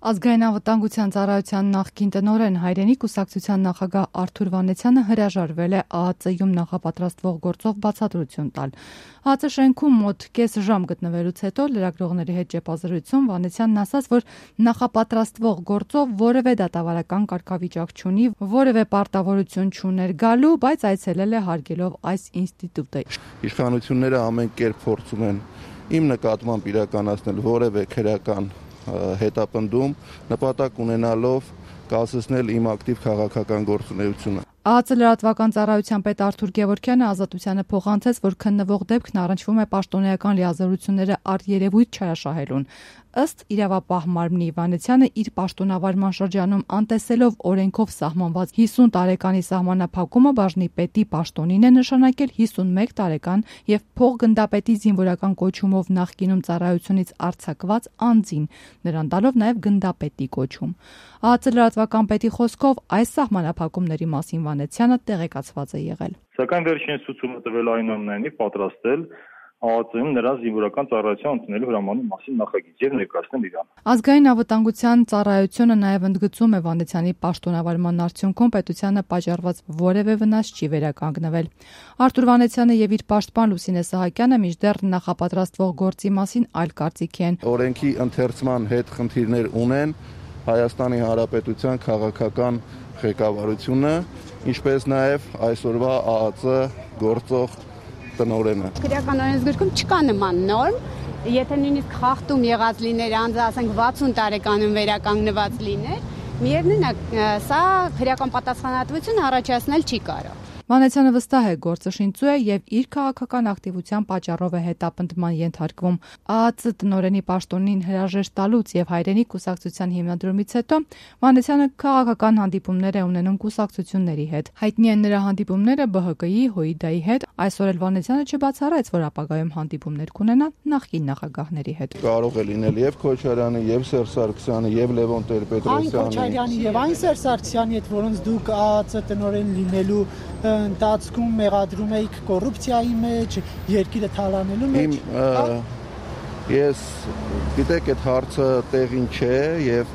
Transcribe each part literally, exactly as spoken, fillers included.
Ազգային անվտանգության ծառայության նախկին տնօրեն հայրենի կուսակցության նախագահ Արթուր Վանեցյանը հրաժարվել է Ա Ա Ծ-ում նախապատրաստվող գործով բացատրություն տալ։ Ա Ա Ծ շենքում մոտ կես ժամ գտնվելուց հետո լրագրողների հետ ճեպազրույցում Վանեցյանն ասաց, որ նախապատրաստվող գործով որևէ դատավարական կարգավիճակ չունի, որևէ պարտավորություն չուներ գալու, բայց այցելել է հարգելով այս ինստիտուտը։ Իշխանությունները ամեն կերպ փորձում են իմ նկատմամբ իրականացնել որևէ քրեական հետապնդում, նպատակ ունենալով կասեցնել իմ ակտիվ քաղաքական գործունեությունը։ Ա Ա Ծ լրատվական ծառայության պետ Արթուր Գևորգյանը Ազատությանը փոխանցեց, որ քննվող դեպքն առնչվում է պաշտոնեական լիազորությունները առերևույթ չարաշահելուն։ Ըստ իրավապահ մարմնի Վանեցյանը իր պաշտոնավարման շրջանում անտեսելով օրենքով սահմանված հիսուն տարեկանի սահմանափակումը բաժնի պետի պաշտոնին է նշանակել հիսունմեկ տարեկան եւ փոխգնդապետի զինվորական կոչումով նախկինում ծառայությունից արձակված անձին, նրան տալով նաեւ գնդապետի կոչում։ Ա Ա Ծ լրատվական պետի խոսքով այս սահմանափակումների մասին Վանեցյանը տեղեկացված է եղել։ Սակայն վերջինս ցուցումը տվել այնուամենայնիվ պատրաստել Ա Ա Ծ-ում նրա զինվորական ծառայության ընդունելու հրամանի մասին նախագիծ եւ ներկայացնել իրան։ Ազգային անվտանգության ծառայությունը նաեւ ընդգծում է Վանեցյանի պաշտոնավարման արդյունքում պետությանը պատճառված որևէ վնաս չի վերականգնվել։ Արթուր Վանեցյանը եւ իր պաշտպան Լուսինե Սահակյանը մինչդեռ նախապատրաստվող գործի մասին այլ կարծիքի են։ Օրենքի ընթերցման հետ խնդիրներ ունեն Հայաստանի Հանրապետության քաղաքական ղեկավարությունը, ինչպես նաեւ այսօրվա Ա Ա Ծ գործող տնօրենը։ Քրեական օրենսգրքում չկա նման նորմ, եթե նույնիսկ խախտում եղած լիներ, անձը ասենք վաթսուն տարեկանում վերականգնված լիներ, միևնույն է, սա քրեական պատասխանատվություն առաջացնել չի կարող։ Վանեցյանը վստահ է, գործը շինծու է եւ իր քաղաքական ակտիվության պատճառով է հետապնդման ենթարկվում։ Ա Ա Ծ տնօրենի պաշտոնին հրաժեշտ տալուց եւ հայրենի կուսակցության հիմնադրումից հետո Վանեցյանը քաղաքական հանդիպումներ է ունենում կուսակցությունների հետ։ Հայտնի են նրա հանդիպումները Բ Հ Կ-ի, Հույդայի հետ։ Այսօր էլ Վանեցյանը չբացառեց, որ ապագայում հանդիպումներ կունենա նախկին նախագահների հետ։ Կարող է լինել եւ Քոչարյանի, եւ Սերժ Սարգսյանի, եւ Լևոն Տեր-Պետրոսյանի, այն Քոչարյանի եւ այն Սերժ Սարգսյանի հետ, որոնց դուք Ա Ա Ծ տնօրեն լինելու ընթացքում մեղադրում էիք կոռուպցիայի մեջ, երկիրը թալանելու մեջ։ Ես գիտեք, այդ հարցը տեղին չէ եւ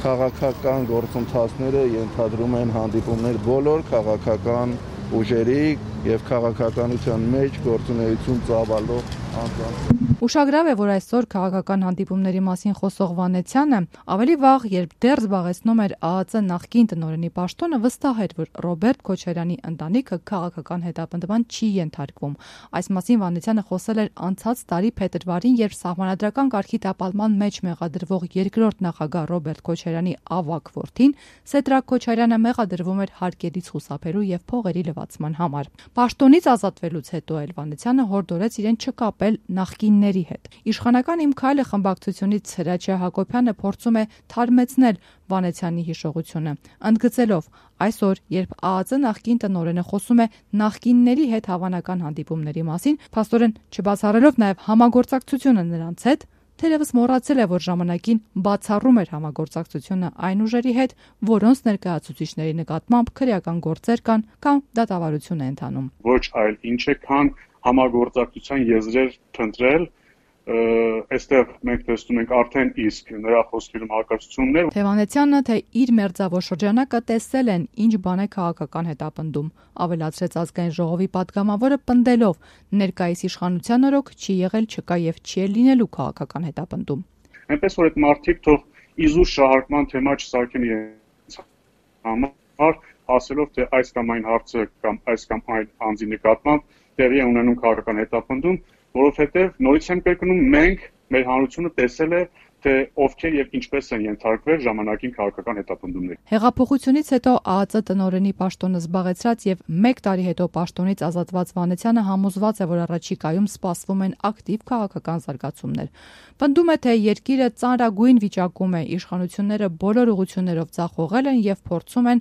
քաղաքական գործընթացները ենթադրում են հանդիպումներ բոլոր քաղաքական ուժերի եւ քաղաքականության մեջ գործունեություն ծավալող անձանց։ Ուշագրավ է, որ այսօր քաղաքական հանդիպումների մասին խոսող Վանեցյանը ավելի վաղ, երբ դեռ զբաղեցնում էր Ա Ա Ծ նախկին տնօրենի պաշտոնը, վստահ էր, որ Ռոբերտ Քոչարյանի ընտանիքը քաղաքական հետապնդման չի ենթարկվում։ Այս մասին Վանեցյանը խոսել էր անցած տարի փետրվարին, երբ սահմանադրական կարգի տապալման մեջ մեղադրվող երկրորդ նախագահ Ռոբերտ Քոչարյանի ավագ որդին Սեդրակ Քոչարյանը մեղադրվում էր հարկերից խուսափելու եւ փողերի լվացման համար։ Պաշտոնից ազատվելուց հետո էլ Վանեցյանը հորդորեց իրեն չկապել նախկինների հետ։ Իշխանական Իմ քայլը խմբակցությունից Հրաչյա Հակոբյանը փորձում է թարմեցնել Վանեցյանի հիշողությունը, ընդգծելով այսօր, երբ Ա Ա Ծ նախկին տնօրենը խոսում է նախկինների հետ հավանական հանդիպումների մասին, փաստորեն չբացառելով նաև համագործակցությունը նրանց հետ, թերևս մոռացել է, որ ժամանակին բացառում էր համագործակցությունը այն ուժերի հետ, որոնց ներկայացուցիչների նկատմամբ քրեական գործեր կան կամ դատավարություն է ընթանում։ Ոչ այլ ինչ է, քան համագործակցության եզրեր փնտրել, այստեղ մենք տեսնում ենք արդեն իսկ նրա խոսքերում հակասություններ։ Թե Վանեցյանը, թե իր մերձավոր շրջանակը տեսել են ինչ բան է քաղաքական հետապնդում, ավելացրեց ազգային ժողովի պատգամավորը պնդելով ներկայիս իշխանության օրոք չի եղել, չկա եւ չի էլ լինելու քաղաքական հետապնդում։ Այնպես որ այդ մարդիկ թող իզուր շահարկման թեմա չսարքեն իրենց համար, ասելով թե այս կամ այն հարցը կամ այս կամ այլ անձի նկատմամբ տեղի է ունենում քաղաքական հետապնդում, որովհետև նորից եմ կրկնում, մենք մեր հանրությունը տեսել է, թե ովքեր եւ ինչպես են ենթարկվել ժամանակին քաղաքական հետապնդումների։ Հեղափոխությունից հետո Ա Ա Ծ տնօրենի պաշտոնը զբաղեցրած եւ մեկ տարի հետո պաշտոնից ազատված Վանեցյանը համոզված է, որ առաջիկայում սպասվում են ակտիվ քաղաքական զարգացումներ։ Պնդում է, թե երկիրը ծանրագույն վիճակում է, իշխանությունները բոլոր ուղղություններով ձախողել են եւ փորձում են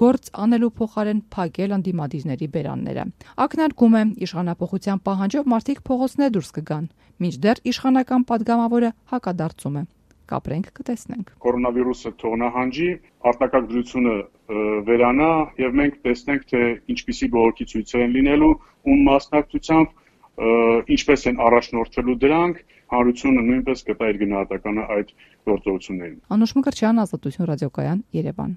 գործ անելու փոխարեն փակել ընդդիմադիրների բերանները։ Ակնարկում է, իշխանապողության պահանջով մարդիկ փողոցներ դուրս կգան, մինչդեռ իշխանական падգամավորը հակադարձում է։ Կապրենք, կտեսնենք։ Կորոնավիրուսը թողնահանջի, արտակարգ դրությունը վերանա եւ մենք տեսնենք, թե ինչպիսի բողոքի ցույցեր են լինելու, ում մասնակցությամբ, ինչպես են առաջնորդվելու դրանք, հանրությունը նույնպես կտա իր գնահատականը այդ գործողություններին։ Անուշ Մկրտչյան, Ազատություն ռադիոկայան, Երևան։